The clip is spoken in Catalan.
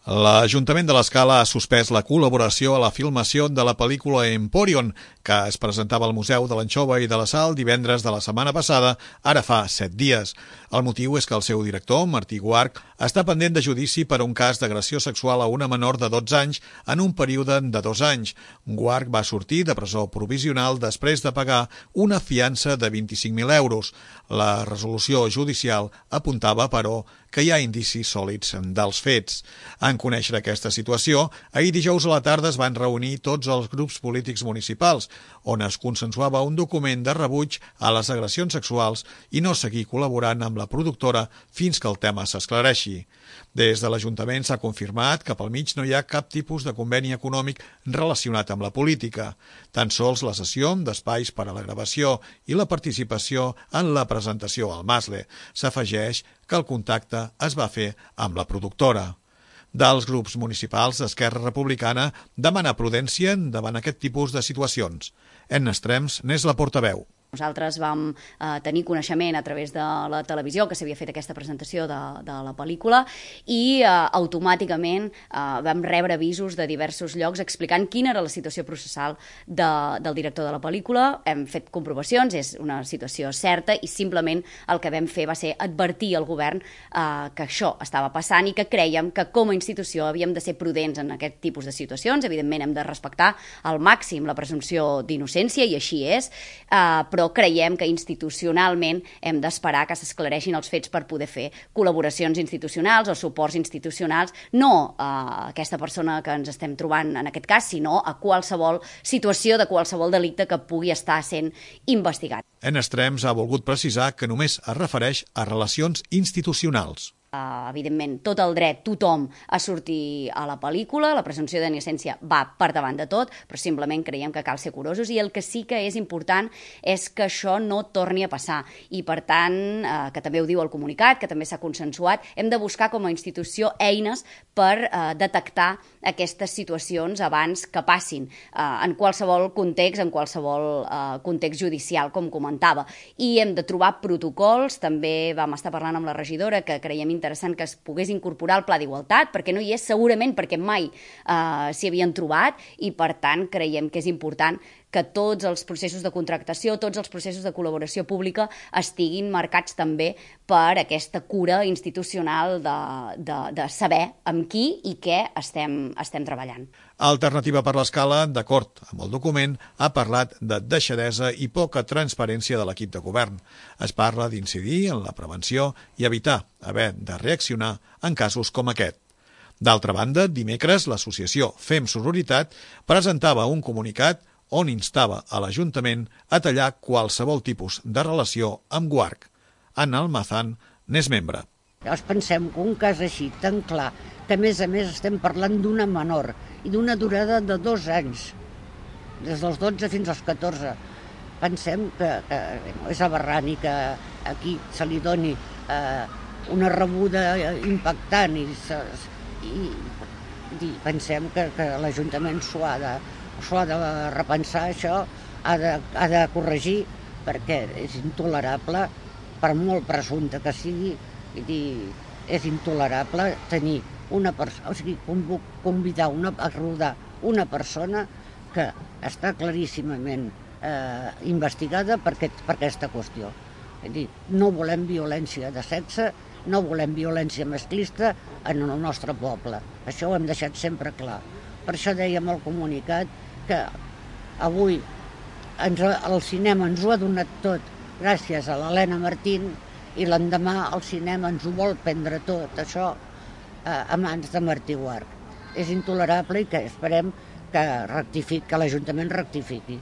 L'Ajuntament de l'Escala ha suspès la col·laboració a la filmació de la pel·lícula Emporion, que es presentava al Museu de l'Anxova i de la Sal divendres de la setmana passada, ara fa 7 dies. El motiu és que el seu director, Martí Guarch, està pendent de judici per un cas d'agressió sexual a una menor de 12 anys en un període de 2 anys. Guarch va sortir de presó provisional després de pagar una fiança de 25.000 euros. La resolució judicial apuntava, però, que hi ha indicis sòlids dels fets. En conèixer aquesta situació, ahir dijous a la tarda es van reunir tots els grups polítics municipals, on es consensuava un document de rebuig a les agressions sexuals i no seguir col·laborant amb la productora fins que el tema s'esclareixi. Des de l'Ajuntament s'ha confirmat que pel mig no hi ha cap tipus de conveni econòmic relacionat amb la política, tan sols la cessió d'espais per a la gravació i la participació en la presentació al Masle. S'afegeix que el contacte es va fer amb la productora. Dels grups municipals, Esquerra Republicana demana prudència davant aquest tipus de situacions. Enna Estrems n'és la portaveu. Nosaltres vam tenir coneixement a través de la televisió que s'havia fet aquesta presentació de la pel·lícula i automàticament vam rebre avisos de diversos llocs explicant quina era la situació processal del director de la pel·lícula. Hem fet comprovacions, és una situació certa i simplement el que vam fer va ser advertir al govern que això estava passant i que crèiem que com a institució havíem de ser prudents en aquest tipus de situacions. Evidentment hem de respectar al màxim la presumpció d'innocència i així és, però creiem que institucionalment hem d'esperar que s'esclareixin els fets per poder fer col·laboracions institucionals o suports institucionals, no a aquesta persona que ens estem trobant en aquest cas, sinó a qualsevol situació de qualsevol delicte que pugui estar sent investigat. En Estrems ha volgut precisar que només es refereix a relacions institucionals. Evidentment, tot el dret, tothom, a sortir a la pel·lícula, la presumpció d'innocència va per davant de tot, però simplement creiem que cal ser curosos i el que sí que és important és que això no torni a passar i, per tant, que també ho diu el comunicat, que també s'ha consensuat, hem de buscar com a institució eines per detectar aquestes situacions abans que passin, en qualsevol context, en qualsevol context judicial, com comentava. I hem de trobar protocols, també vam estar parlant amb la regidora, que creiem interessant que es pogués incorporar al Pla d'Igualtat, perquè no hi és segurament perquè mai s'hi havien trobat i, per tant, creiem que és important que tots els processos de contractació, tots els processos de col·laboració pública estiguin marcats també per aquesta cura institucional de saber amb qui i què estem treballant. Alternativa per l'Escala, d'acord amb el document, ha parlat de deixadesa i poca transparència de l'equip de govern. Es parla d'incidir en la prevenció i evitar haver de reaccionar en casos com aquest. D'altra banda, dimecres l'associació Fem Sororitat presentava un comunicat on instava a l'Ajuntament a tallar qualsevol tipus de relació amb Guarch. Anna Almazán n'és membre. Llavors pensem que un cas així tan clar, que a més estem parlant d'una menor i d'una durada de 2 anys, des dels 12 fins als 14, pensem que és aberrant i que aquí se li doni una rebuda impactant i pensem que l'Ajuntament s'ho ha de repensar, això, ha de corregir, perquè és intolerable, per molt presumpte que sigui, és intolerable tenir una persona, o sigui, convidar a rodar una persona que està claríssimament investigada per aquesta qüestió. És a dir, no volem violència de sexe, no volem violència masclista en el nostre poble. Això ho hem deixat sempre clar. Per això dèiem al comunicat que avui el cinema ens ho ha donat tot gràcies a l'Helena Martín i l'endemà el cinema ens ho vol prendre tot, això, a mans de Martí Guarch. És intolerable i que esperem que l'Ajuntament rectifiqui.